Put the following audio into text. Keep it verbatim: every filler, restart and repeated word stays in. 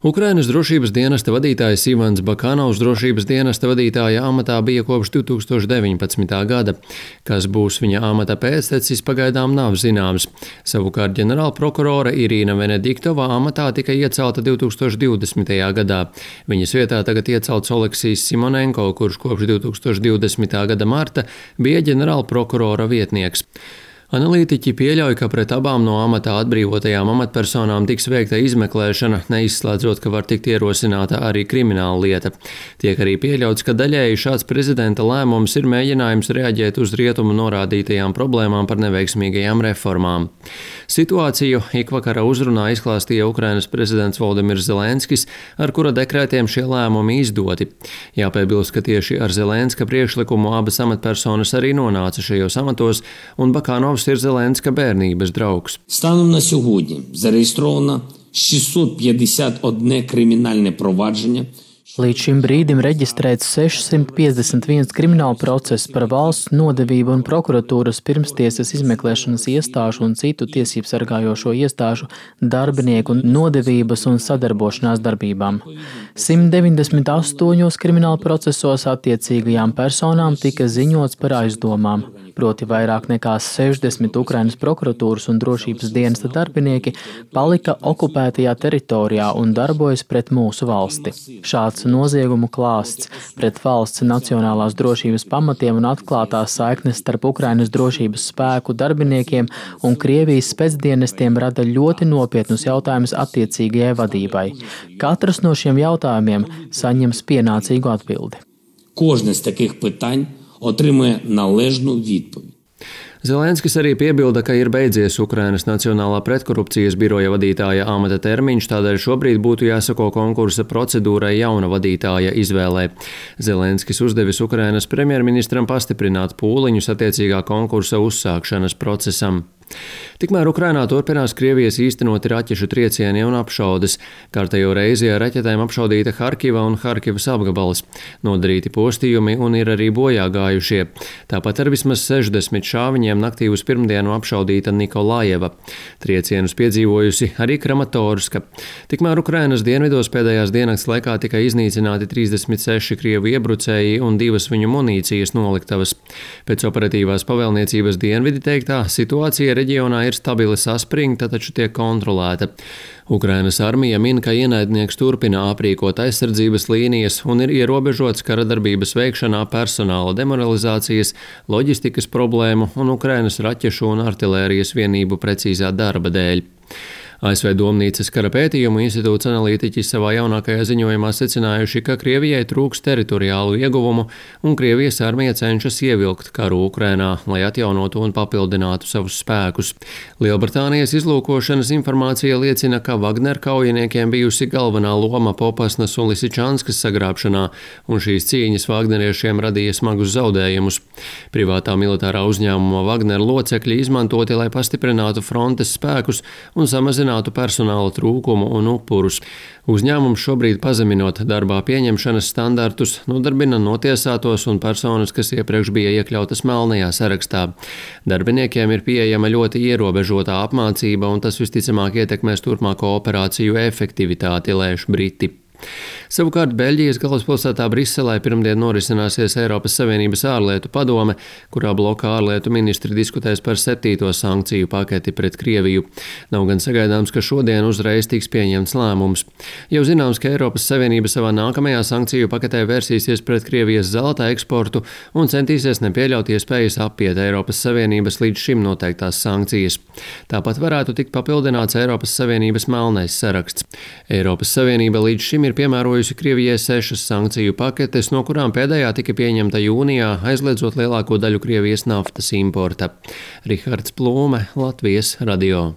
Ukrainas drošības dienesta vadītājs Ivans Bakanovs drošības dienesta vadītāja amatā bija kopš divs tūkstoši deviņpadsmitā gada. Kas būs viņa amata pēctecis, pagaidām nav zināms. Savukārt ģenerālprokurore Irīna Venediktova amatā tika iecelta divs tūkstoši divdesmitajā gadā. Viņas vietā tagad iecelts Oleksijs Simonenko, kurš kopš divs tūkstoši divdesmitā gada marta bija ģenerālprokurora vietnieks. Analītiķi pieļauj, ka pret abām no amatā atbrīvotajām amatpersonām tiks veikta izmeklēšana, neizslēdzot, ka var tikt ierosināta arī krimināla lieta. Tiek arī pieļauts, ka daļēji šāds prezidenta lēmums ir mēģinājums reaģēt uz rietumu norādītajām problēmām par neveiksmīgajām reformām. Situāciju ikvakara uzrunā izklāstīja Ukrainas prezidents Voldimirs Zelenskis, ar kura dekrētiem šie lēmumi izdoti. Jāpiebilst, ka tieši ar Zelenska priekšlikumu abas amatpersonas arī nonāca šajos amatos, un Bakanovs ir Zelenska bērnības draugs. Станом на сьогодні зареєстровано šeststo piecdesmit viens kriminālne провадження. Līdz šim brīdim reģistrēts sešsimt piecdesmit viens krimināla process par valsts nodevību un prokuratūras pirmstiesas izmeklēšanas iestāžu un citu tiesību sargājošo iestāžu darbinieku nodevības un sadarbošanās darbībām. simt deviņdesmit astoņos krimināla procesos attiecīgajām personām tika ziņots par aizdomām, proti vairāk nekā sešdesmit Ukrainas prokuratūras un drošības dienesta darbinieki palika okupētajā teritorijā un darbojas pret mūsu valsti. Šāds noziegumu klāsts pret valsts nacionālās drošības pamatiem un atklātās saiknes starp Ukrainas drošības spēku darbiniekiem un Krievijas specdienestiem rada ļoti nopietnus jautājumus attiecīgajai vadībai. Katrs no šiem jautājumiem saņems pienācīgu atbildi. Кожне з таких питань отримує належну відповідь. Zelenskis arī piebilda, ka ir beidzies Ukrainas Nacionālā pretkorupcijas biroja vadītāja amata termiņš, tādēļ šobrīd būtu jāsako konkursa procedūrai jauna vadītāja izvēlē. Zelenskis uzdevis Ukrainas premjerministram pastiprināt pūliņus attiecīgā konkursa uzsākšanas procesam. Tikmēr Ukrainā turpinās Krievijas īstenoti raķešu triecieni un apšaudes. Kārtējo reizi ar raķetēm apšaudīta Harkiva un Harkivas apgabals. Nodarīti postījumi un ir arī bojā gājušie. Tāpat ar vismaz sešdesmit šāviņiem naktī uz pirmdienu apšaudīta Nikolājeva. Triecienus piedzīvojusi arī Kramatorska. Tikmēr Ukrainas dienvidos pēdējās diennakts laikā tika iznīcināti trīsdesmit seši krievu iebrucēji un divas viņu munīcijas noliktavas. Pēc operatīvās pavēlniecības dienvidi teiktā situācija reģionā ir stabili saspringta, taču tiek kontrolēta. Ukrainas armija min, ka ienaidnieks turpina aprīkot aizsardzības līnijas un ir ierobežots kara darbības veikšanā personāla demoralizācijas, loģistikas problēmu un Ukrainas raķešu un artilērijas vienību precīzā darba dēļ. A S V Domnīcas kara pētījumu institūts analītiķi savā jaunākajā ziņojumā secinājuši, ka Krievijai trūks teritoriālu ieguvumu un Krievijas armija cenšas ievilkt karu Ukrainā, lai atjaunotu un papildinātu savus spēkus. Lielbritānijas izlūkošanas informācija liecina, ka Wagner kaujiniekiem bijusi galvenā loma Popasnas un Lisičanskas sagrābšanā, un šīs cīņas Wagneriešiem radīja smagus zaudējumus. Privātā militārā uzņēmuma Wagner locekļi izmantoti, lai pastiprinātu frontes spēkus un samazinātu personāla trūkumu un upurus. Uzņēmums šobrīd pazeminot darbā pieņemšanas standartus, nodarbina notiesātos un personas, kas iepriekš bija iekļautas melnajā sarakstā. Darbiniekiem ir pieejama ļoti ierobežotā apmācība, un tas visticamāk ietekmēs turpmāko operāciju efektivitāti, lēš Briti. Savukārt Beļģijas galvaspilsētā Briselē pirmdien norisināsies Eiropas Savienības ārlietu padome, kurā blokā ārlietu ministri diskutēs par septīto sankciju paketi pret Krieviju. Nav gan sagaidāms, ka šodien uzreiz tiks pieņemts lēmums. Jau zināms, ka Eiropas Savienība savā nākamajā sankciju paketē vērsīsies pret Krievijas zelta eksportu un centīsies nepieļaut iespējas apiet Eiropas Savienības līdz šim noteiktās sankcijas. Tāpat varētu tikt papildināts Eiropas Savienības melnais saraksts. Eiropas Savienība līdz šim ir piemērojusi Krievijai sešas sankciju paketes, no kurām pēdējā tika pieņemta jūnijā, aizliedzot lielāko daļu Krievijas naftas importa. Rihards Plūme, Latvijas radio.